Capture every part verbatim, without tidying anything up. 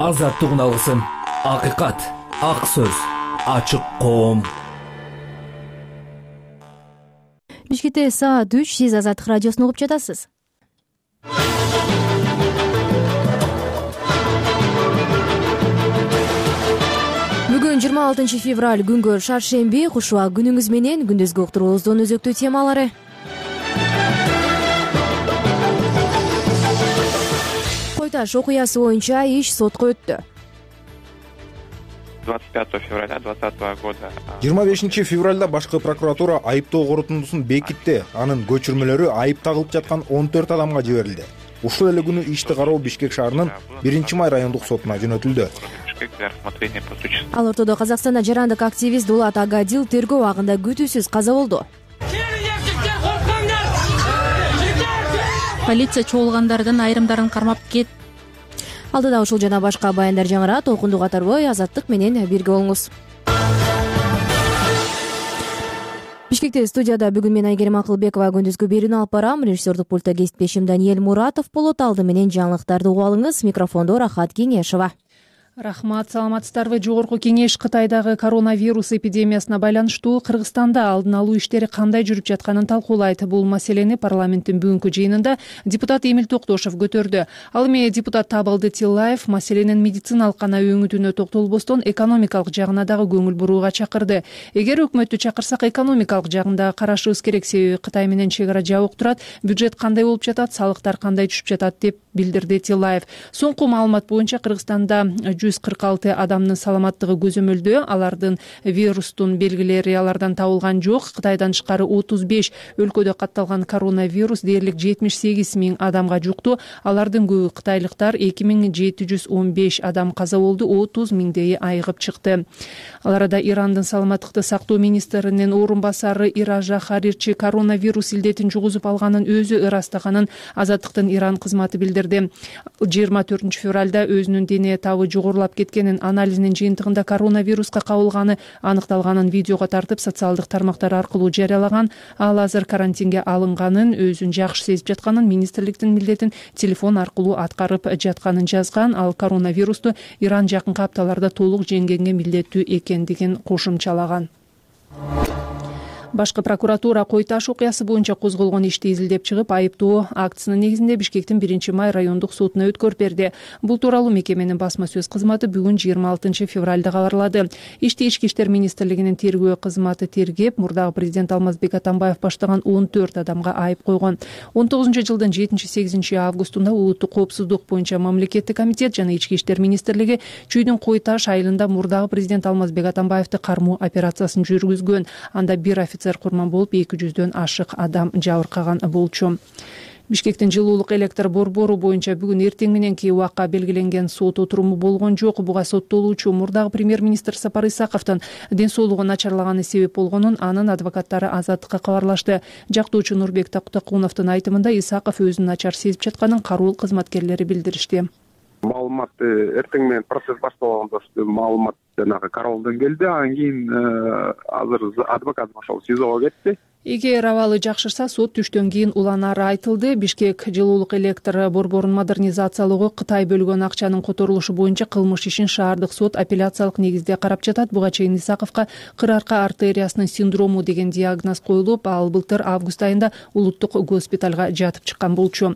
азаттык үналысын, акыйкат, ак сөз, ачык коом. Бишкекте саат үч, сиз Азаттык радиосун угуп жатасыз. Бүгүн жыйырма алтынчы февраль, күнгө шаршемби. Куш убак күнүңүз менен күндүзгү уктуруубуздун өзөктүү темалары. Кой-Таш окуясы боюнча иш сотко өттү. двадцать пятого февраля двадцатого года. жыйырма бешинчи февралда башкы прокуратура айыптоо корутундусун бекитти. Анын көчүрмөлөрү айып тагылып жаткан он төрт адамга жиберилди. Ушул эле күнү ишти кароо Бишкек шаарынын биринчи май райондук сотуна жөнөтүлдү. Ал ортодо Казакстанда жарандык активист Дулат Агадил тергөө абагында күтүүсүз каза болду. Полиция чогулгандардан айрымдарын кармап кет. Алдыда ушул жана башка баяндар жаңырат. Толкунду катарбой Азаттык менен бирге болуңуз. Бишкекте студияда бүгүн мен Айгерим Акылбекова күндүзгү берүүнү алып барам. Режиссердик пультта кесиптешим Даниэль Муратов болот. Алды менен жаңылыктарды угуп алыңыз. Микрофондо Рахат Кеңешова. Рахмат, саламатсыздарбы? Жогорку кеңеш Кытайдагы коронавирус эпидемиясына байланыштуу Кыргызстанда алдын алуу иштери кандай жүрүп жатканын талкуулайт. Бул маселени парламенттин бүгүнкү жыйынында депутат Эмил Токтошов көтөрдү. Ал эми депутат Табылды Тиллаев маселенин медициналык гана өңүтүнө токтолбостон экономикалык жагына дагы көңүл бурууга чакырды. Эгер өкмөттү чакырсак экономикалык жагында карашыбыз керек, себеби Кытай менен чек ара жабык турат, бюджет кандай болуп жатат, салыктар кандай түшүп жатат деп билдирди Тиллаев. Соңку маалымат боюнча Кыргызстанда жүз кырк алты адамдын саламаттыгы көзөмөлдөө. Алардын вирустун белгилери алардан табылган жок. Кытайдан тышкары отуз беш өлкөдө катталган коронавирус дээрлик жетимиш сегиз миң адамга жукту. Алардын көбү кытайлыктар. эки миң жети жүз он беш адам каза болду, отуз миңдейи айыгып чыкты. Ал арада Ирандын саламаттыкты сактоо министринин орун басары Иража Харирчи коронавирус илдетин жугузуп алганын өзү ырастаганын Азаттыктын Иран кызматы билдирди. жыйырма төртүнчү февралда өзүнүн дене табы жогорулап кеткенин, анализинин жыйынтыгында коронавируска кабылганы аныкталганын видеого тартып социалдык тармактар аркылуу жарыялаган. Ал азыр карантинге алынганын, өзүн жакшы сезип жатканын, министрликтин милдетин телефон аркылуу аткарып жатканын жазган. Ал коронавирусту Иран жакынкы апталарда толук жеңгенге милдеттүү экендигин кошумчалаган. Башкы прокуратура Кой-Таш окуясы боюнча козголгон ишти изилдеп чыгып, айыптоо актысынын негизинде Бишкектин биринчи май райондук сотуна өткөрүп берди. Бул тууралуу мекеменин басма сөз кызматы бүгүн жыйырма алтынчы февралда кабарлады. Ишти Ички иштер министрлигинин тергөө кызматы тергеп, мурдагы президент Алмазбек Атамбаев баштаган он төрт адамга айып койгон. он тогузунчу жылдын жетинчи сегизинчи августунда улуттук коопсуздук боюнча мамлекеттик комитет жана Ички иштер министрлиги Чүйдүн Кой-Таш айылында мурдагы президент Алмазбек Атамбаевди кармоо операциясын жүргүзгөн. Анда бир офицер курман болуп, эки жүздөн ашык адам жабыркаган болчу. Бишкектин жылуулук электр борбору боюнча бүгүн эртең мененки убакка белгиленген сот отуруму болгон жок. Буга соттолуучу мурдагы премьер-министр Сапар Исаковдун ден соолугу начарлаганы себеп болгонун анын адвокаттары Азаттыкка кабарлашты. Жактоочу Нурбек Тактакуновдун айтымында Исаков өзүн начар сезип жатканын кароол кызматкерлери билдиришти. Маалымат эртең менен процесс башталганда маалымат жанагы кароолдон келди. Анан кийин азыр адвокат ошол СИЗОго кетти. Эгер абалы жакшырса, сот түштөн кийин уланары айтылды. Бишкек жылуулук электр борборун модернизациялоого Кытай бөлгөн акчанын которулушу боюнча кылмыш ишин шаардык сот апелляциялык негизде карап жатат. Буга чейин Исаковго кыр арка артериясынын синдрому деген диагноз коюлуп, ал былтыр август айында улуттук госпиталга жатып чыккан болчу.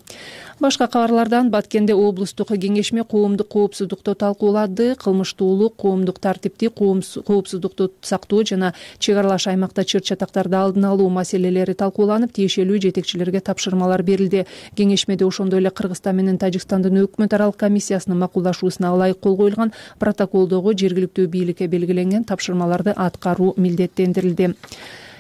Башка кабарлардан Баткенде облустук кеңешме коомдук коопсуздукту талкуулады. Кылмыштуулук, коомдук тартипти, коопсуздукту сактоо жана чек аралаш аймакта чыр-чатактарды алдын алуу маселелери талкууланып, тиешелүү жетекчилерге тапшырмалар берилди. Кеңешмеде ошондой эле Кыргызстан менен Тажикстандын өкмөт аралык комиссиясынын макулдашуусуна ылайык кол коюлган протоколдогу жергиликтүү бийликке белгиленген тапшырмаларды аткаруу милдеттендирилди.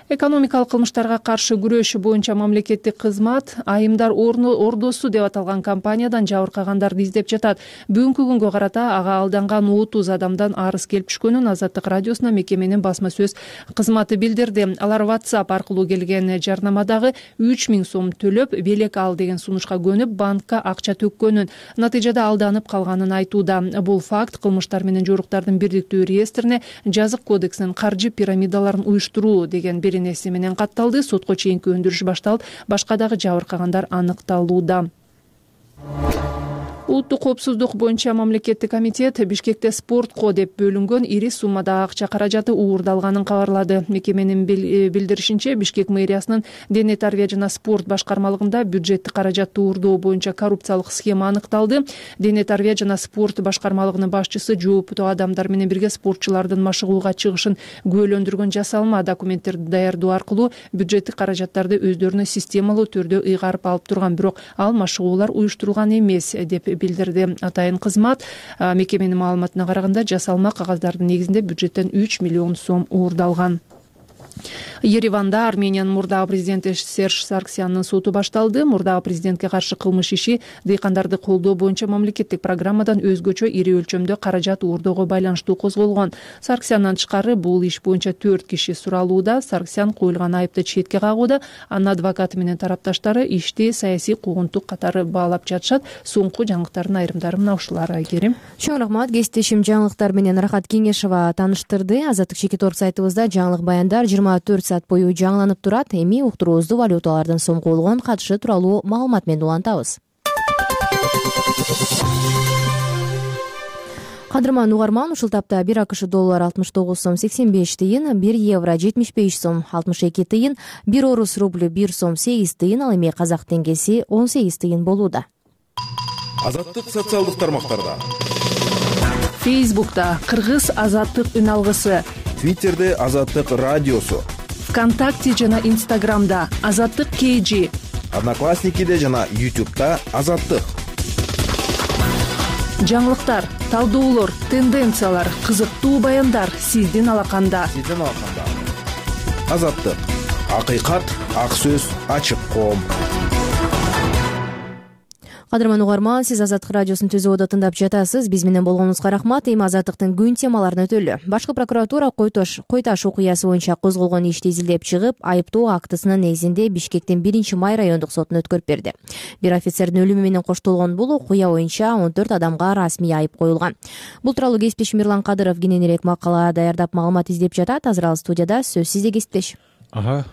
Экономикалык кылмыштарга каршы күрөш боюнча мамлекеттик кызмат айымдар ордосу деп аталган компаниядан жабыркагандарды издеп жатат. Бүгүнкү күнгө карата ага алданган отуз адамдан арыз келип түшкөнүн Азаттык радиосуна мекеменин басма сөз кызматы билдирди. Алар WhatsApp аркылуу келген жарнамадагы үч миң сом төлөп, белек ал деген сунушка көнүп, банкка акча төккөнүн, натыйжада алданып калганын айтууда. Бул факт кылмыштар менен жоруктардын бирдиктүү реестрине жазык кодексинин каржы пирамидаларын уюштуруу деген нерсе менен катталды. Сотко чейинки өндүрүш башталып, башка дагы жабыркагандар аныкталууда. Улуттук коопсуздук боюнча мамлекеттик комитет Бишкекте спортко деп бөлүнгөн ири суммадагы акча каражаты уурдалганын кабарлады. Мекеменин билдиришинче, Бишкек мэриясынын дене тарбия жана спорт башкармалыгында бюджеттик каражатты уурдоо боюнча коррупциялык схема аныкталды. Дене тарбия жана спорт башкармалыгынын башчысы жооптуу адамдар менен бирге спортчулардын машыгууга чыгышын күбөлөндүргөн жасалма документтерди даярдоо аркылуу бюджеттик каражаттарды өздөрүнө системалуу түрдө ыйгарып алып турган, бирок ал машыгуулар уюштурулган эмес деп билдирди атайын кызмат. Мекеменин маалыматына караганда, жасалма кагаздардын негизинде бюджеттен үч миллион сом уурдалган. Ереванда Армениянын мурдагы президенти Серж Сарксяндын соту башталды. Мурдагы президентке каршы кылмыш иши дыйкандарды колдоо боюнча мамлекеттик программадан өзгөчө ири өлчөмдө каражат уурдоого байланыштуу козголгон. Сарксяндын тышкары бул иш боюнча төрт киши суралууда. Сарксян коюлган айыпты четке кагууда. Анын адвокаты менен тарапташтары ишти саясий куугунтук катары баалап жатышат. Соңку жаңылыктардын айрымдары мына ушулар. Айгерим. Чоң рахмат. Кесиптешим жаңылыктар менен Рахат Кеңешова тааныштырды. Азаттык чекит орг сайтыбызда жаңылык баяндар жыйырма төрт саат бою жаңыланып турат. Эми уктуруубузду валюталардын сом коюлган катышы тууралуу маалымат менен улантабыз. Кадырман угарман, ушул тапта бир акш доллар алтымыш тогуз сом сексен беш тыйын, бир евро жетимиш беш сом алтымыш эки тыйын, бир орус рублю бир сом сегиз тыйын, ал эми казак теңгеси он сегиз тыйын болууда. Азаттык социалдык тармактарда. Фейсбукта Кыргыз азаттык үн алгысы, Твиттерде Азаттык радиосу, ВКонтакте жана Инстаграмда Азаттык кей жи, Одноклассникиде жана Ютубта Азаттык. Жаңылыктар, талдоолор, тенденциялар, кызыктуу баяндар сиздин алаканда. Сиздин алаканда. Азаттык. Акыйкат, ак сөз, ачык коом. Кадырман угарман, сиз Азаттык радиосун түзүүдө тыңдап жатасыз. Биз менен болгонуңузга рахмат. Эми Азаттыктын күн темаларын өтөлү. Башкы прокуратура Койташ Койташ окуясы боюнча козголгон ишти изилдеп чыгып, айыптоо актысынын негизинде Бишкектин биринчи май райондук сотуна өткөрүп берди. Бир офицердин өлүмү менен коштолгон бул окуя боюнча он төрт адамга расмий айып коюлган. Бул тууралуу кесиптешим Мирлан Кадыров кененирээк макала даярдап маалымат издеп жатат. Азыр ал студияда. Сөз сизде, кесиптеш. Ага,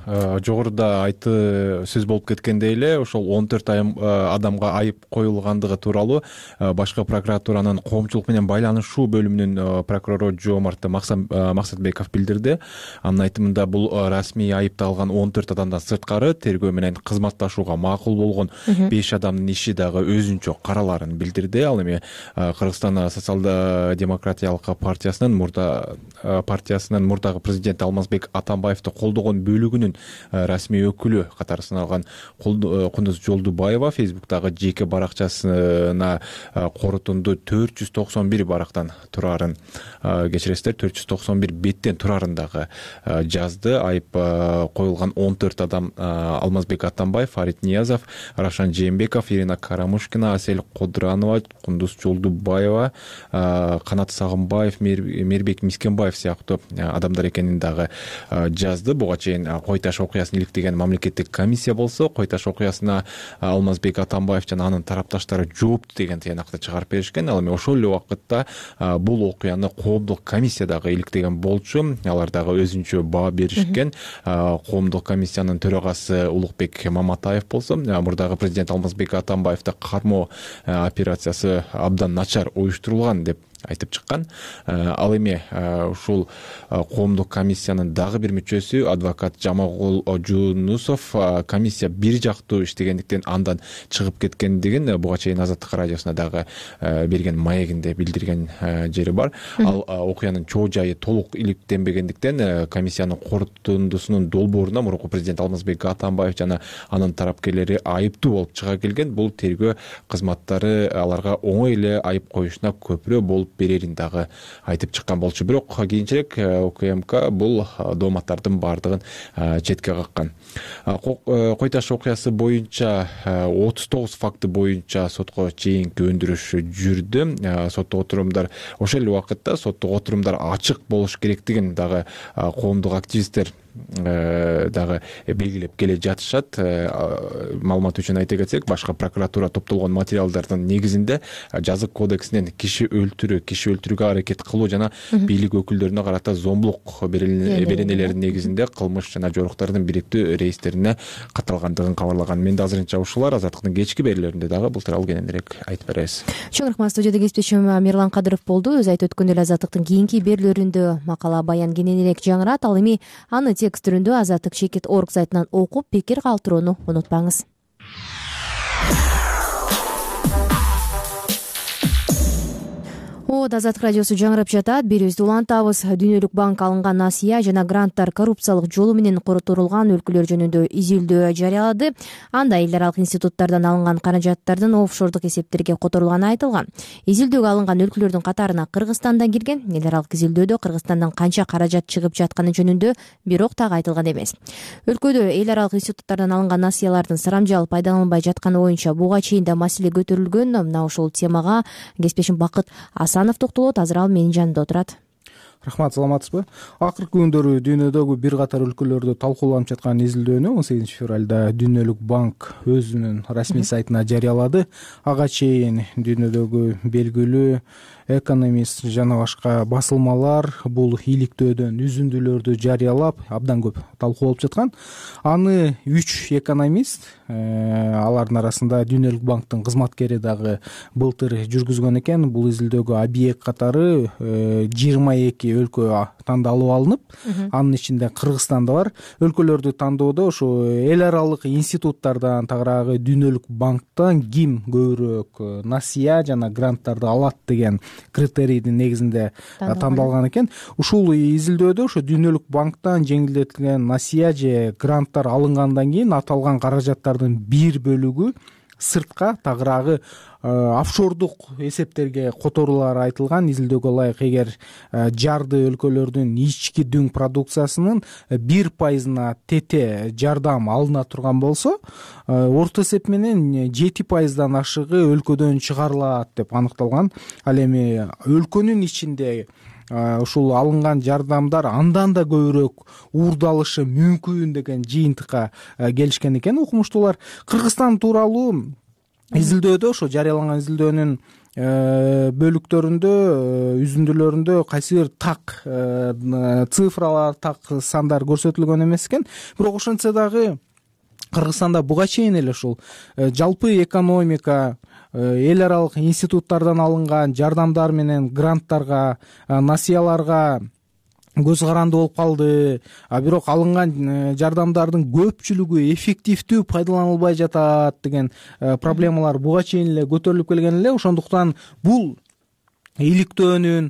жогоруда айты сөз болуп кеткендей эле, ошол он төрт адамга айып коюлгандыгы тууралуу башкы прокуратуранын коомчулук менен байланышуу бөлүмүнүн прокурору Жоомарт Максатбеков билдирди. Анын айтымында бул расмий айыпталган он төрт адамдан сырткары тергөө менен кызматташууга макул болгон беш адамдын иши дагы өзүнчө караларын билдирди. Ал эми Кыргызстан социал-демократиялык партиясынын мурда партиясынын мурдагы президенти Алмазбек Атамбаевди колдогон бөлүгүнүн расмий өкүлү катары саналган Кундуз Жолдубаева Фейсбуктагы жеке баракчасына корутунду төрт жүз токсон бир барактан турарын, кечиресиздер, төрт жүз токсон бир беттен турарын дагы жазды. Айып коюлган он төрт адам Алмазбек Атамбаев, Фарид Ниязов, Рашан Жээнбеков, Ирина Карамушкина, Асель Кодранова, Кундуз Жолдубаева, Канат Сагынбаев, Мирбек Мискенбаев сыяктуу адамдар экенин дагы жазды. Буга чейин Койташ окуясын иликтеген мамлекеттик комиссия болсо, Койташ окуясына Алмазбек Атамбаев жана анын тарапташтары жоопту деген тыянакты чыгарып беришкен. Ал эми ошол эле убакытта бул окуяны коомдук комиссия дагы иликтеген болчу. Алар дагы өзүнчө баа беришкен. Коомдук комиссиянын төрагасы Улукбек Маматаев болсо, мурдагы президент Алмазбек Атамбаевди кармоо операциясы абдан начар уюштурулган деп айтып чыккан. Ал эми ушул коомдук комиссиянын дагы бир мүчөсү адвокат Жамагул Жунусов комиссия бир жактуу иштегендиктен андан чыгып кеткендигин буга чейин Азаттык радиосуна дагы берген маегинде билдирген жери бар. Ал окуянын чоо жайы толук иликтенбегендиктен комиссиянын корутундусунун долбооруна мурунку президент Алмазбек Атамбаев жана анын тарапкерлери айыптуу болуп чыга келген. Бул тергөө кызматтары аларга оңой эле айып коюшуна көпүрө болуп берерин дагы айтып чыккан болчу. Бирок кийинчерээк УКМК бул дооматтардын баардыгын четке каккан. Койташ окуясы боюнча отуз тогуз факты боюнча сотко чейинки өндүрүш жүрдү. Соттук отурумдар ошол эле убакытта соттук отурумдар ачык болуш керектигин дагы коомдук активисттер дагы белгилеп келе жатышат. Маалымат үчүн айта кетсек, башкы прокуратура топтолгон материалдардын негизинде жазык кодексинен киши өлтүрүү, киши өлтүрүүгө аракет кылуу жана бийлик өкүлдөрүнө карата зомбулук беренелеринин негизинде кылмыш жана жоруктардын бириктүү рейстерине катталгандыгын кабарлаган. Менде азырынча ушулар. Азаттыктын кечки берүүлөрүндө дагы бул тууралуу кененирээк айтып беребиз. Чоң рахмат. Студияда кесиптешим Мирлан Кадыров болду. Өзү айтып өткөндөй эле Азаттыктын кийинки берүүлөрүндө макала баян кененирээк жаңырат. Ал эми аны текст түрүндө Азаттык чекит точка орг сайтынан окуп, пикир калтырууну унутпаңыз. Азаттык радиосу жаңырап жатат. Берүүбүздү улантабыз. Дүйнөлүк банк алынган насыя жана гранттар коррупциялык жолу менен коротулган өлкөлөр жөнүндө изилдөө жарыялады. Анда эл аралык институттардан алынган каражаттардын офшордук эсептерге которулганы айтылган. Изилдөөгө алынган өлкөлөрдүн катарына Кыргызстан да кирген. Эл аралык изилдөөдө Кыргызстандан канча каражат чыгып жатканы жөнүндө бирок так айтылган эмес. Өлкөдө эл аралык институттардан алынган насыялардын сарамжалып пайдаланылбай жатканы боюнча буга чейин да маселе көтөрүлгөн. Мына ушул темага кесиптешим Бакыт Асанов токтолот. Азыр ал менин жанымда отурат. Рахмат, саламатсызбы? Акыркы күндөрү дүйнөдөгү бир катар өлкөлөрдө талкууланып жаткан изилдөөнү он сегизинчи февралда Дүйнөлүк банк өзүнүн расмий сайтына жарыялады. Ага чейин дүйнөдөгү белгилүү экономист жана башка басылмалар бул иликтөөдөн үзүндүлөрдү жарыялап, абдан көп талкуу болуп жаткан. Аны үч экономист, алардын арасында Дүйнөлүк банктын кызматкери дагы былтыр жүргүзгөн экен. Бул изилдөөгө объект катары жыйырма эки өлкө тандалып алынып, анын ичинде Кыргызстан да бар. Өлкөлөрдү тандоодо ушу эл аралык институттардан, тагыраагы Дүйнөлүк банктан ким көбүрөөк насыя жана гранттарды алат деген критерийдин негизинде тандалган экен. Ушул изилдөөдө ошо Дүйнөлүк банктан жеңилдетилген насыя же гранттар алынгандан кийин аталган каражаттардын бир бөлүгү сыртка, тагыраагы офшордук эсептерге которулары айтылган. Изилдөөгө ылайык, эгер жарды өлкөлөрдүн ички дүң продукциясынын бир пайызына тете жардам алына турган болсо, орто эсеп менен жети пайыздан ашыгы өлкөдөн чыгарылат деп аныкталган. Ал эми өлкөнүн ичинде ушул алынган жардамдар андан да көбүрөөк уурдалышы мүмкүн деген жыйынтыкка келишкен экен окумуштуулар. Кыргызстан тууралуу изилдөөдө, ошо жарыяланган изилдөөнүн бөлүктөрүндө, үзүндүлөрүндө кайсы бир так цифралар, так сандар көрсөтүлгөн эмес экен. Бирок ошентсе дагы Кыргызстанда буга чейин эле ушул жалпы экономика, эл аралык институттардан алынган жардамдар менен гранттарга, насыяларга көз каранды болуп калды. А бирок алынган жардамдардын көпчүлүгү эффективдүү пайдаланылбай жатат деген проблемалар буга чейин эле көтөрүлүп келген эле. Ошондуктан бул иликтөөнүн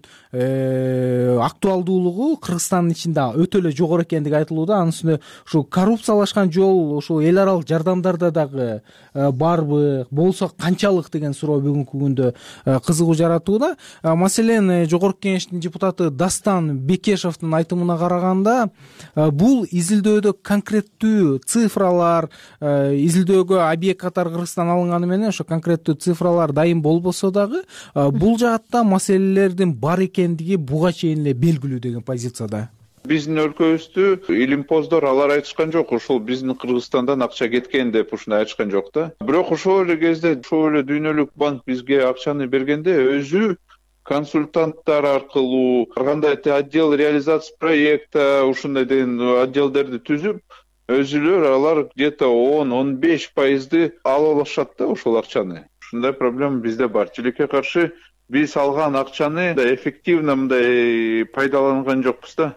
актуалдуулугу Кыргызстандын ичинде өтө эле жогору экендиги айтылууда. Анын үстүнө ушул коррупциялашкан жол ушул эл аралык жардамдарда дагы барбы, болсо канчалык деген суроо бүгүнкү күндө кызыгуу жаратууда. Маселен, Жогорку Кеңештин депутаты Дастан Бекешевдин айтымына караганда, бул изилдөөдө конкреттүү цифралар, изилдөөгө объект катары Кыргызстан алынганы менен ошо конкреттүү цифралар дайым болбосо дагы, бул жаатта маселелердин бар экендиги буга чейин эле белгилүү деген позицияда. Биздин өлкөбүздү илимпоздор алар айтышкан жок, ушул биздин Кыргызстандан акча кеткен деп ушундай айтышкан жок да. Бирок ошол эле кезде ошол эле Дүйнөлүк банк бизге акчаны бергенде өзү консультанттар аркылуу, кандай отдел реализация проекта, ушундай деген отделдерди түзүп, өзүлөр алар где-то он он беш пайызды алып алышат да ошол акчаны. Ушундай проблема бизде бар. Тилекке каршы биз алган акчаны да эффективно мындай пайдаланган жокпуз да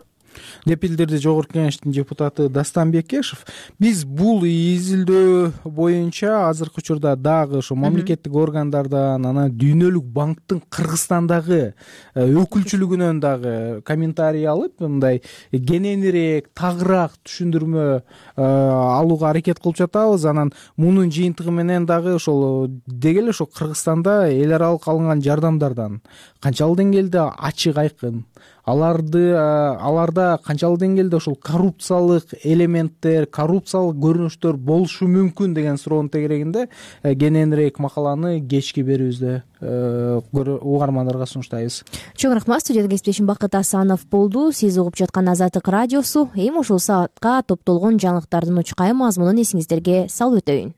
деп билдирди Жогорку Кеңештин депутаты Дастан Бекешев. Биз бул изилдөө боюнча азыркы учурда дагы ошо мамлекеттик органдардан, анан Дүйнөлүк банктын Кыргызстандагы өкүлчүлүгүнөн дагы комментарий алып, мындай кененирээк, тагыраак түшүндүрмө алууга аракет кылып жатабыз. Анан мунун жыйынтыгы менен дагы ошол деги эле ошо Кыргызстанда эл аралык алынган жардамдардан канчалык деңгээлде ачык айкын аларды аларда канчалык деңгээлде ушул коррупциялык элементтер, коррупциялык көрүнүштөр болушу мүмкүн деген суроонун тегерегинде кененирээк макаланы кечки берүүбүздө угармандарга сунуштайбыз. Чоң рахмат. Студияда кесиптешим Бакыт Асанов болду. Сиз угуп жаткан Азаттык радиосу. Эми ушул саатка топтолгон жаңылыктардын учкай мазмунун эсиңиздерге салып өтөйүн.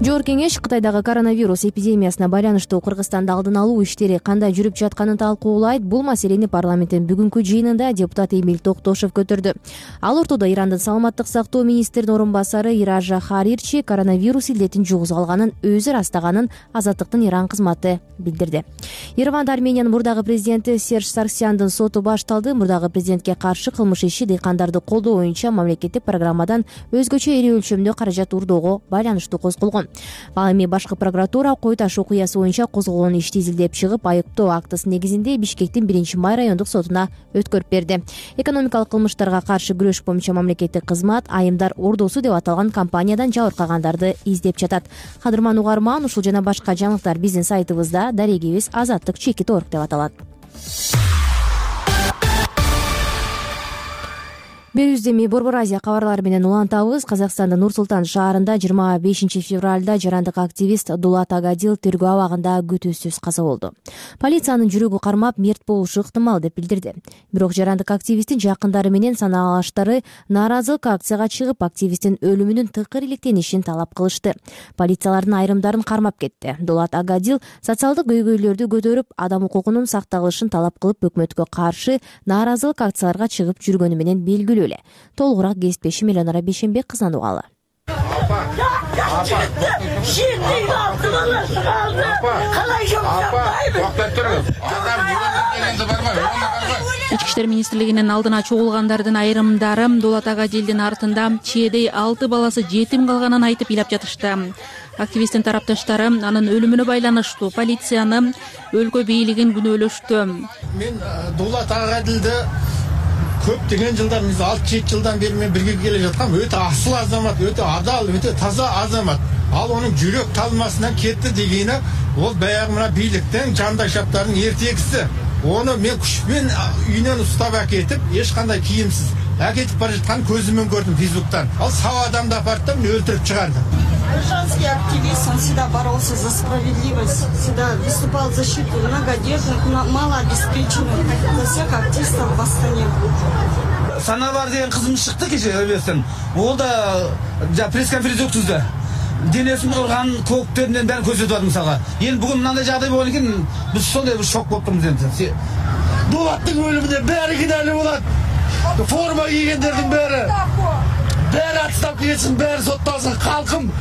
Жогорку кеңеш Кытайдагы коронавирус эпидемиясына байланыштуу Кыргызстанда алдын алуу иштери кандай жүрүп жатканын талкуулайт. Бул маселени парламенттин бүгүнкү жыйынында депутат Эмил Токтошов көтөрдү. Ал ортодо Ирандын саламаттык сактоо министринин орун басары Иража Харирчи коронавирус илдетин жугузуп алганын өзү ырастаганын Азаттыктын Иран кызматы билдирди. Ереванда Армениянын мурдагы президенти Серж Сарксяндын соту башталды. Мурдагы президентке каршы кылмыш иши дыйкандарды колдоо боюнча мамлекеттик программадан өзгөчө ири өлчөмдө каражат урдоого байланыштуу козголгон. Ал эми башкы прокуратура Кой Таш окуясы боюнча козголгон ишти изилдеп чыгып, айыптоо актысы негизинде Бишкектин биринчи май райондук сотуна өткөрүп берди. Экономикалык кылмыштарга каршы күрөш боюнча мамлекеттик кызмат Айымдар Ордосу деп аталган компаниядан жабыркагандарды издеп жатат. Кадырман угарман, ушул жана башка жаңылыктар биздин сайтыбызда, дарегибиз азаттык чекит орг деп аталат. Берүүбүздү эми Борбор Азия кабарлары менен улантабыз. Казакстандын Нур-Султан шаарында жыйырма бешинчи февралда жарандык активист Дулат Агадил тергөө абагында күтүүсүз каза болду. Полициянын жүрөгү кармап мерт болушу ыктымал деп билдирди. Бирок жарандык активисттин жакындары менен санаалаштары нааразылык акцияга чыгып, активисттин өлүмүнүн тыкыр иликтенишин талап кылышты. Полициялардын айрымдарын кармап кетти. Дулат Агадил социалдык көйгөйлөрдү көтөрүп, адам укугунун сакталышын талап кылып, өкмөткө каршы нааразылык акцияларга чыгып жүргөнү менен белгилүү. Толугураак кесиптешим Эленора Бейшенбек кызынан угалы. Ички иштер министрлигинин алдына чогулгандардын айрымдары Дулат Агадилдин артында чээдей алты баласы жетим калганын айтып ыйлап жатышты. Активисттин тарапташтары анын өлүмүнө байланыштуу полицияны, өлкө бийлигин күнөөлөштү. Мен Дулат Агадилди көптөгөн жылдар, алты жети жылдан бери мен бирге келе жаткам. Өтө асыл азамат, өтө адал, өтө таза азамат. Ал онун жүрөк талмасынан кетти дегени, ол баягы мына бийликтин жандашаптардын эртегиси. Оны мен күчпен үйүнөн устап акетип, эч кандай кийимсиз акетип бара жатканын көзүмөн көрдүм Фейсбуктан. Ал сау адамды апарды да мени өлтүрүп чыгарды. Женский активист, он всегда боролся за справедливость, всегда выступал в защиту многодетных, малообеспеченных, за всех активистов в Астане. Саналар деген кызым чыкты кеше эбестен. Ол да пресс-конференция өткөздү. Денесин урган көктеринен баарын көрсөтүп атат мисалга. Эми бүгүн мындай жагдай болгон экен, биз сондай бир шок болуп турмуз эми. Дулаттын өлүмүнө баары кыйналуу болот. Форма кийгендердин баары баары отставка кетсин, баары сотталсын. Калкым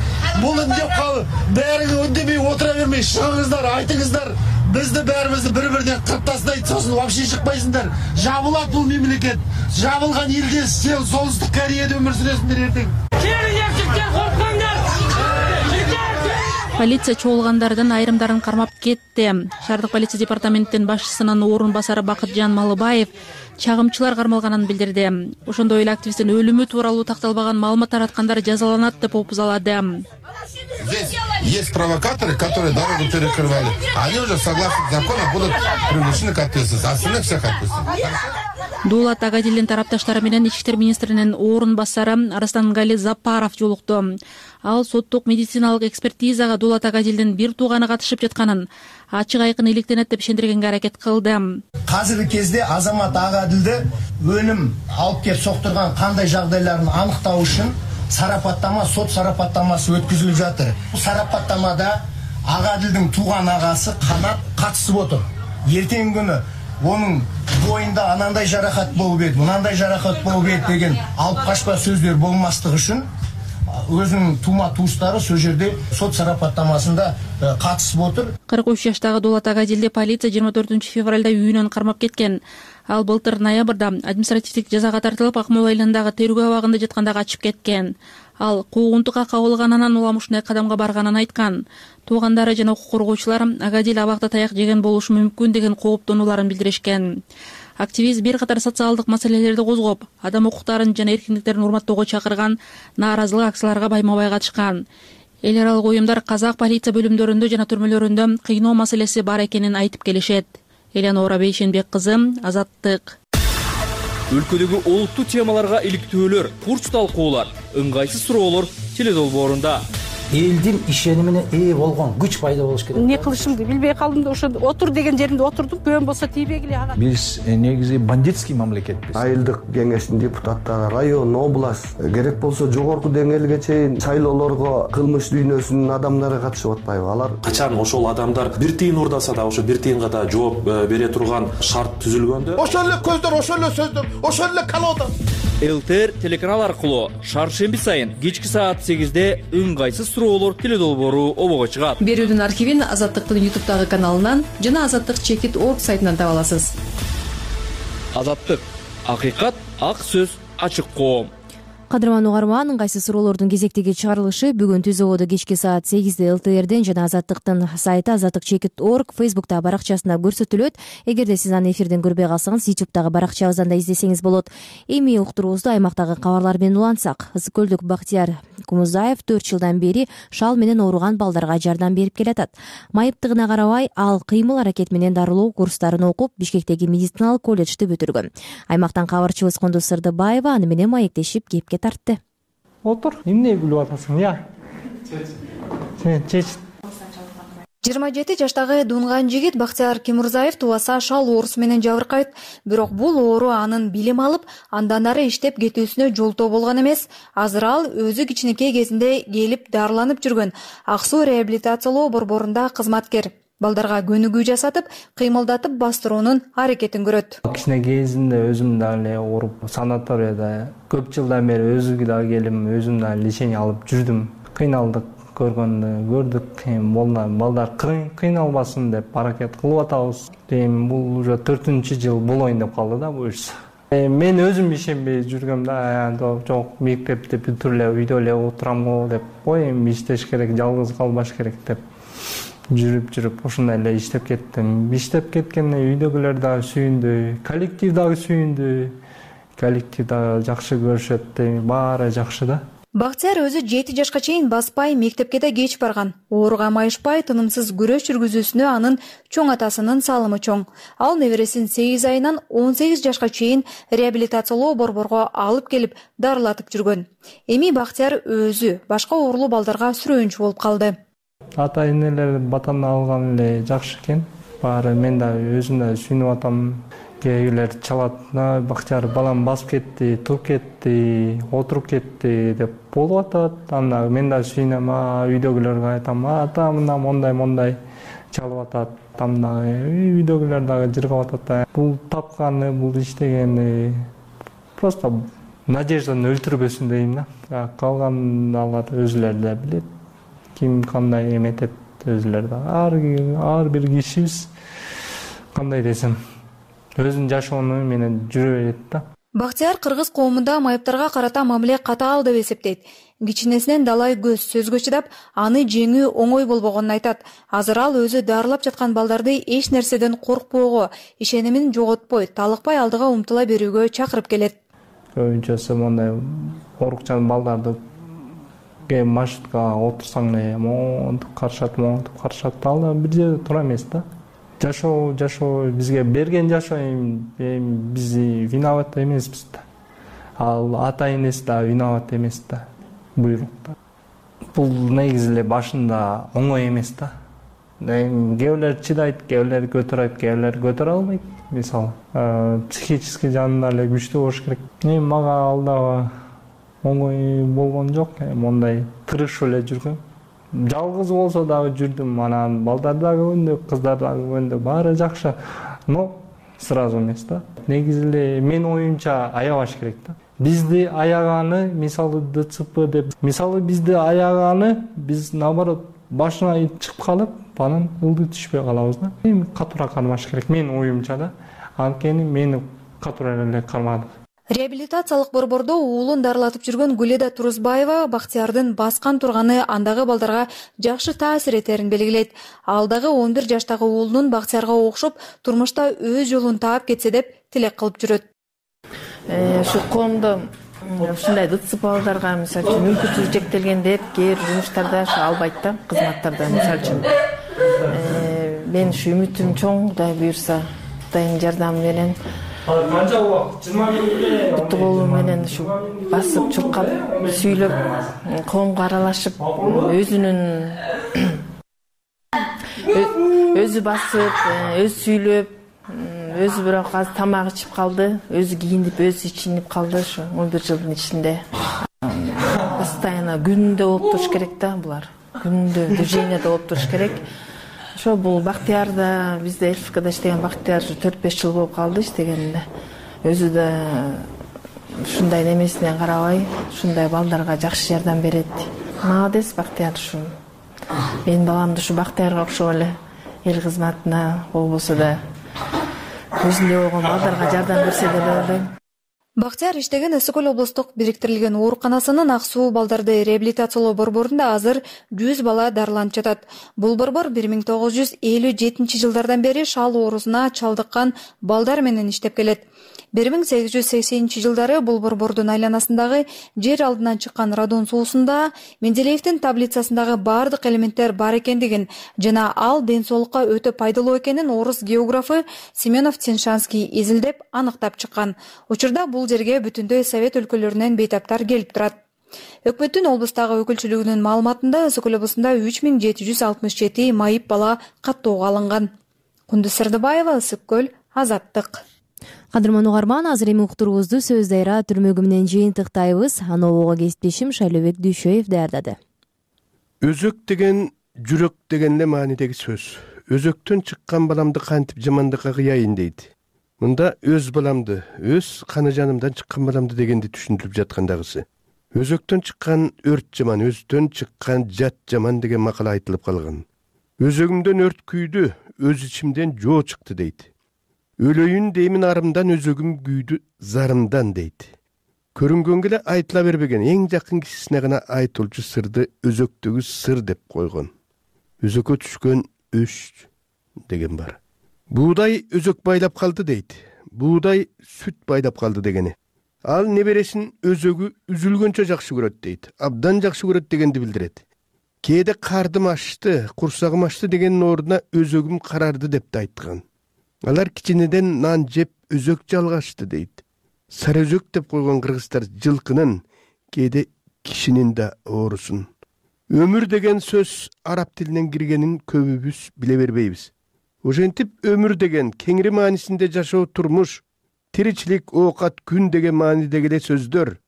мулун деп калып, баары үндемей отура бермей чыгыңыздар, айтыңыздар. Бизди баарыбызды бири-биринен кырып тастайт, сосын вообще чыкпайсыңдар. Жабылат бул мемлекет. Жабылган элде сен Солтүстүк Кореяда өмүр сүрөсүңдөр эртең. Полиция чогулгандардын айрымдарын кармап кетти. Шаардык полиция департаментинин башчысынын орун басары Бакытжан Малыбаев чагымчылар кармалганын билдирди. Ошондой эле активисттин өлүмү тууралуу такталбаган маалымат тараткандар жазаланат деп опузалады. Здесь есть провокаторы, которые дорогу перекрывали. Они уже согласно закону будут привлечены к ответственности. Остальных всех ответственность. Дулат Агадилдин тарапташтары менен ички иштер министринин орун басары Арыстангали Запаров жолукту. Ал соттук медициналык экспертизага Дулат Агадилдин бир тууганы катышып жатканын ачык айкын иликтенет деп ишендиргенге аракет кылды. Азыркы кезде азамат Агадилди өлүм алып келип соктурган кандай жагдайларын аныктоо үчүн сарапаттама, сот сарапаттамасы өткөзүлүп жатыр. Бул сарапаттамада Агадилдин тууган агасы Канат катышып отур. Эртең күнү onun boyunda anандай жаракат болуп ет, мынандай жаракат болуп ет деген алып качпа сөздөр болмастыгы үчүн өзүнүн тума туустары сол жерде сот сарапаттамасында катышып отур. кырк үч жаштагы Дулат Агадилди полиция жыйырма төртүнчү февралда үйүнөн кармап кеткен. Ал былтыр ноябрда административдик жазага тартылып, Акмола айылындагы тергөө абагында жатканда качып кеткен. Ал куугунтукка кабылганынан улам ушундай кадамга барганын айткан. Туугандары жана укук коргоочулар Агадил абакта таяк жеген болушу мүмкүн деген кооптонууларын билдиришкен. Активист бир катар социалдык маселелерди козгоп, адам укуктарын жана эркиндиктерин урматтоого чакырган нааразылык акцияларга байма-бай катышкан. Эл аралык уюмдар казак полиция бөлүмдөрүндө жана түрмөлөрүндө кыйноо маселеси бар экенин айтып келишет. Элеонора Бейшенбек кызы, Азаттык. Өлкөдөгү олуттуу темаларга иликтөөлөр, курч талкуулар, ыңгайсыз суроолор теледолбоорунда. Элдин ишенимине ээ болгон күч пайда болуш керек. Эмне кылышымды билбей калдым да ошо отур деген жеримде отурдум. Көбөн болсо тийбегиле ага. Биз негизи бандитский мамлекетпиз. Айылдык кеңештин депутаттары, район, область, керек болсо жогорку деңгээлге чейин шайлоолорго кылмыш дүйнөсүнүн адамдары катышып атпайбы? Алар качан ошол адамдар бир тыйын урдаса да ошо бир тыйынга да жооп бере турган шарт түзүлгөндө, ошол эле көздөр, ошол эле сөздөр, ошол эле колода. ЛТР телеканал аркылуу шаршемби сайын кечки саат сегизде ыңгайсыз суроолор теледолбоору обого чыгат. Берүүдүн архивин Азаттыктын ютубтагы каналынан жана азаттык чекит точка орг сайтынан таба аласыз. Азаттык, акыйкат, ак сөз, ачык коом. Кадырман угарман, ыңгайсыз суроолордун кезектеги чыгарылышы бүгүн түз абода кечки саат сегизде ЛТРден жана Азаттыктын сайты азаттык чекит точка орг Facebook'тагы баракчасында көрсөтүлөт. Эгерде сиз аны эфирден көрбөй калсаңыз, YouTube'дагы баракчабыздан да издесеңиз болот. Эми уктуруубузду аймактагы кабарлар менен улантсак, Ысык көлдүк Бактияр Кумузаев төрт жылдан бери шал менен ооруган балдарга жардам берип келатат. Майыптыгына карабай, ал кыймыл аракет менен дарылоо курстарын окуп, Бишкектеги медициналык колледжди бүтүргөн. Аймактан кабарчыбыз Кондуз Сырдыбаева аны менен маектешип кепке тартты. Отур, эмне билип атасың, я? Сен чеч. жыйырма жети жаштагы дунган жигит Бактияр Кимурзаев тубаса шал оорусу менен жабыркайт. Бирок бул оору анын билим алып, андан ары иштеп кетүүсүнө жолтоо болгон эмес. Азыр ал өзү кичинекей кезинде келип дарыланып жүргөн Ак Суу реабилитациялоо борборунда кызматкер. Балдарга көнүгүү жасатып, кыймылдатып бастыруунун аракетин көрөт. Кичине кезинде өзүм дагы эле ооруп, санаторияда көп жылдан бери өзүгө дагы келип, өзүм дагы лечение алып жүрдүм. Кыйналдык көргөндө көрдүк, эми балдар кыйналбасын деп аракет кылып атабыз. Эми бул уже төртүнчү жыл болоюн деп калды да бул иш. Мен өзүм ишенбей жүргөм да, жок мектепти бүтүрүп эле үйдө эле отурам го деп, ой эми иштеш керек, жалгыз калбаш керек деп жүрүп жүрүп ошондой эле иштеп кеттим. Иштеп кеткенде үйдөгүлөр дагы сүйүндү, коллектив дагы сүйүндү. Коллектив дагы жакшы көрүшөт, баары жакшы да. Бактияр өзү жети жашка чейин баспай, мектепке да кеч барган. Ооруга майышпай, тынымсыз күрөш жүргүзүүсүнө анын чоң атасынын салымы чоң. Ал небересин сегиз айынан он сегиз жашка чейин реабилитациялоо борборго алып келип дарылатып жүргөн. Эми Бактияр өзү башка оорулуу балдарга сүрөөнчү болуп калды. Ата энелер батаны алган эле жакшы экен. Баары мен да өзүм да сүйүнүп атам. Кээгилер чалат, Бактияр балам басып кетти, туруп кетти, отуруп кетти деп болуп атат. Анда мен да сүйүнөм, үйдөгүлөргө айтам, ата мына мондай мондай чалып атат. Анда үйдөгүлөр дагы жыргап атат. Бул тапканы, бул иштегени просто надежданы өлтүрбөсүн дейм да. Калган алар өзүлөрү да билет. Ким кандай эметет өзүлөр да. Ар бир кишибиз кандай десем өзүнүн жашоону менен жүрө берет да. Бактияр кыргыз коомунда майыптарга карата мамиле катаал деп эсептейт. Кичинесинен далай көз сөзгө чыдап, аны жеңүү оңой болбогонун айтат. Азыр ал өзү дарылап жаткан балдарды эч нерседен коркпоого, ишенимин жоготпой, талыкпай алдыга умтула берүүгө чакырып келет. Көбүнчөсү мондай оорукчан балдарды маршруткага отурсаң эле монтип карашат, монтип карашат. Ал да бир жерде тура эмес да. Жашоо, жашоо бизге берген жашоо эми биз виноват эмеспиз да. Ал ата энеси да виноват эмес да. Буйрук. Бул негизи эле башында оңой эмес да. Эми кээбилер чыдайт, кээбилер көтөрөйт, кээбилер көтөрө албайт. Мисалы, психический жагынан эле күчтүү болуш керек. Эми мага ал дагы оңой болгон жок, мондай тырышып эле жүргөм. Жалгыз болсо дагы жүрдүм, анан балдар дагы көндү, кыздар дагы көндү, баары жакшы. Но сразу эмес да. Негизи эле мен оюмча аябаш керек да. Бизди аяганы, мисалы ДЦП деп, мисалы бизди аяганы, биз наоборот башына чыгып калып, анан ылдый түшпөй калабыз да. Эми катуура кармаш керек, мен оюмча да. Анткени мени катуура эле кармады. Реабилитациялык борбордо уулун дарылатып жүргөн Гүледа Турузбаева Бактиярдын баскан турганы андагы балдарга жакшы таасир этерин белгилейт. Ал дагы он бир жаштагы уулунун Бактиярга окшоп турмушта өз жолун таап кетсе деп тилек кылып жүрөт. Ушу коомдо ушундай ДЦП балдарга мисалы үчүн мүмкүнчүлүгү чектелген деп кээ бир жумуштарда албайт да, кызматтарда мисалы үчүн. Мен ушу үмүтүм чоң, Кудай буйрса кутайдын жардамы менен канча убакыт жыйырма минутте буту колу менен ушу басып чуркап сүйлөп коомго аралашып өзүнүн өзү басып өзү сүйлөп өзү бирок азыр тамак ичип калды, өзү кийинип өзү ичинип калды. Ушу он бир жылдын ичинде постоянно күндө болуп туруш керек да, булар күндө движениеде болуп туруш керек. Ошо бул Бактияр да, бизде ЛФКда иштеген Бактияр төрт беш жыл болуп калды иштегенде. Өзү да ушундай немесинен карабай, ушундай балдарга жакшы жардам берет. Молодец Бактияр. Ушу менин баламды ушу Бактиярга окшоп эле эл кызматына болбосо да өзүндөй болгон балдарга жардам берсе деп ойлойм. Бактияр иштеген Өсү көл облустук бириктирилген ооруканасынын ак суу балдарды реабилитациялоо борборунда азыр жүз бала дарыланып жатат. Бул борбор бир миң тогуз жүз элүү жетинчи жылдардан бери шал оорусуна чалдыккан балдар менен иштеп келет. бир миң сегиз жүз сексенинчи жылдары бул борбордун айланасындагы жер алдынан чыккан радон суусунда Менделеевдин таблицасындагы бардык элементтер бар экендигин жана ал ден соолукка өтө пайдалуу экенин орус географы Семенов Теншанский изилдеп аныктап чыккан. Учурда бул жерге бүтүндөй Совет өлкөлөрүнөн бейтаптар келип турат. Өкмөттүн облустагы өкүлчүлүгүнүн маалыматында Өсү көл облусунда үч миң жети жүз алтымыш жети майып бала каттоого алынган. Кундуз Сырдыбаева, Өсү көл, Азаттык. Кадырман угарман, азыр эми уктуруубузду Сөз Дайра түрмөгү менен жыйынтыктайбыз. Анобого кесиптешим Шайлообек Дүйшөев даярдады. Өзөк деген жүрөк деген эле маанидеги сөз. Өзөктөн чыккан баламды кантип жамандыкка кыяйын дейт. Мында өз баламды, өз каны жанымдан чыккан баламды дегенди түшүндүрүп жаткандагысы. Өзөктөн чыккан өрт жаман, өздөн чыккан жат жаман деген макал айтылып калган. Өзөгүмдөн өрт күйдү, өз ичимден жоо чыкты дейт. Өлөйүн деймин арымдан, өзөгүм күйдү зарымдан дейт. Көрүнгөнгө эле айтыла бербеген, эң жакын кишисине гана айтылчу сырды өзөктөгү сыр деп койгон. Өзөккө түшкөн өш деген бар. Буудай өзөк байлап калды дейт. Буудай сүт байлап калды дегени. Ал небересин өзөгү үзүлгөнчө жакшы көрөт дейт. Абдан жакшы көрөт дегенди билдирет. Кээде кардым ашты, курсагым ашты дегенин ордуна өзөгүм карарды деп да айткан. Алар кичинеден нан жеп өзөк жалгашты дейт. Сары өзөк деп койгон кыргыздар жылкынын, кээде кишинин да оорусун. Өмүр деген сөз араб тилинен киргенин көбүбүз биле бербейбиз. Ошентип өмүр деген кеңири маанисинде жашоо, турмуш, тиричилик, оокат, күн деген маанидеги эле сөздөр.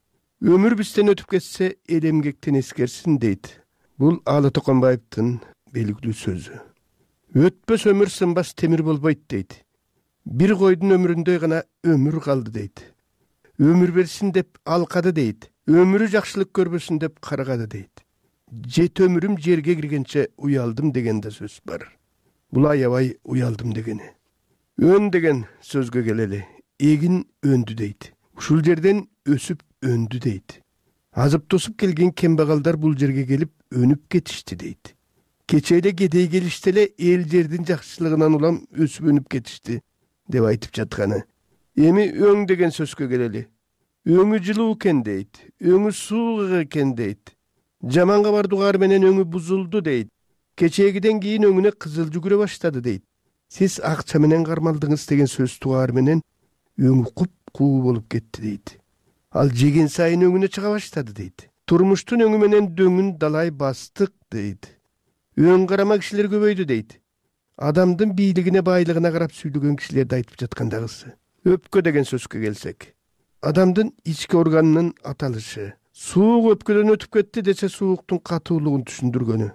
Өмүр бизден өтүп кетсе, эл эмгектен эскерсин дейт. Бул Алы Токонбаевдин белгилүү сөзү. Өтпөс өмүр сынбас темир болбойт дейт. Бир койдун өмүрүндөй гана өмүр калды дейт. Өмүр берсин деп алкады дейт. Өмүрү жакшылык көрбөсүн деп каргады дейт. Жет өмүрүм жерге киргенче уялдым деген да сөз бар. Бул аябай уялдым дегени. Өн деген сөзгө келели. Эгин өндү дейт. Ушул жерден өсүп өндү дейт. Азып тосуп келген кембагалдар бул жерге келип өнүп кетишти дейт. Кече эле кедей келишти эле эл жердин жакшылыгынан улам өсүп өнүп кетишти деп айтып жатканы. Эми өң деген сөзгө келели. Өңү жылуу экен дейт. Өңү суук экен дейт. Жаманга бардугар менен өңү бузулду дейт. Кечегиден кийин өңүнө кызыл жүгүрө баштады дейт. Сиз акча менен кармалдыңыз деген сөз тугаар менен өңү куп-куу болуп кетти дейт. Ал жеген сайын өңүнө чыга баштады дейт. Турмуштун өңү менен дөңүн далай бастык дейт. Өң карама кишилер көбөйдү дейт. Адамдын бийлигине, байлыгына карап сүйлөгөн кишилерди айтып жаткандагысы. Өпкө деген сөзгө келсек, адамдын ички органынын аталышы. Суук өпкөдөн өтүп кетти десе сууктун катуулугун түшүндүргөнү.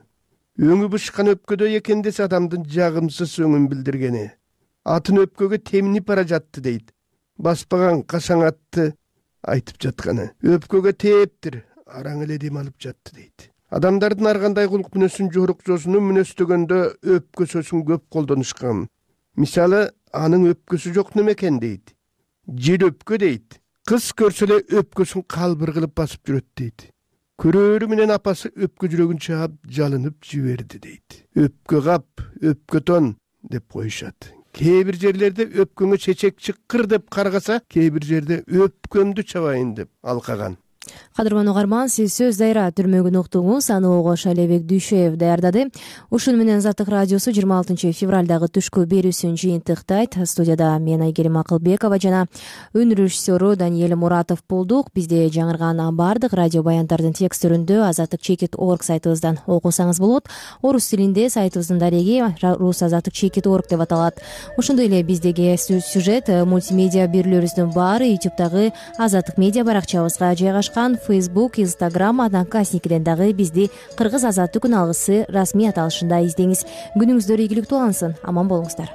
Өңү бышкан өпкөдөй экен десе адамдын жагымсыз өңүн билдиргени. Атын өпкөгө теминип бара жатты дейт. Баспаган кашаң атты айтып жатканы. Өпкөгө тээптир, араң эле дем алып жатты дейт. Адамдардын ар кандай кулук мүнөсүн жорукчосуну мүнөстөгөндө өпкө сөзүн көп колдонушкан. Мисалы, анын өпкөсү жок немекен дейт. Жел өпкө дейт. Кыз көрсө эле өпкөсүн калбыр кылып басып жүрөт дейт. Көрөөрү менен апасы өпкө жүрөгүн чаап жалынып жиберди дейт. Өпкө кап, өпкө тон деп коюшат. Кээ бир жерлерде өпкөңө чечек чыккыр деп каргаса, кээ бир жерде өпкөмдү чабайын деп алкаган. Кадырман угарман, сиз сөз дайра түрмөгүн уктуңуз, аны Огош Алибек Дүйшөев даярдады. Ушуну менен Азаттык радиосу жыйырма алтынчы февралдагы түшкү берүүсүн жыйынтыктайт. Студияда мен Айгерим Акылбекова жана үн режиссеру Даниэль Муратов болдук. Бизде жаңырган баардык радио баяндардын тексттерүндө азаттык чекит точка орг сайтыбыздан окусаңыз болот. Орус тилинде сайтыбыздын дареги рус азаттык чекит точка орг деп аталат. Ошондой эле биздеги сюжет, мультимедиа берүүлөрүбүздүн баары ютубтагы Азаттык медиа баракчабызга жайгашкан. Facebook, Instagram, Одноклассникиден дагы бизди Кыргыз азаттык күн алгысы расмий аталышында издеңиз. Күнүңүздөр ийгиликтүү алынсын. Аман болуңуздар.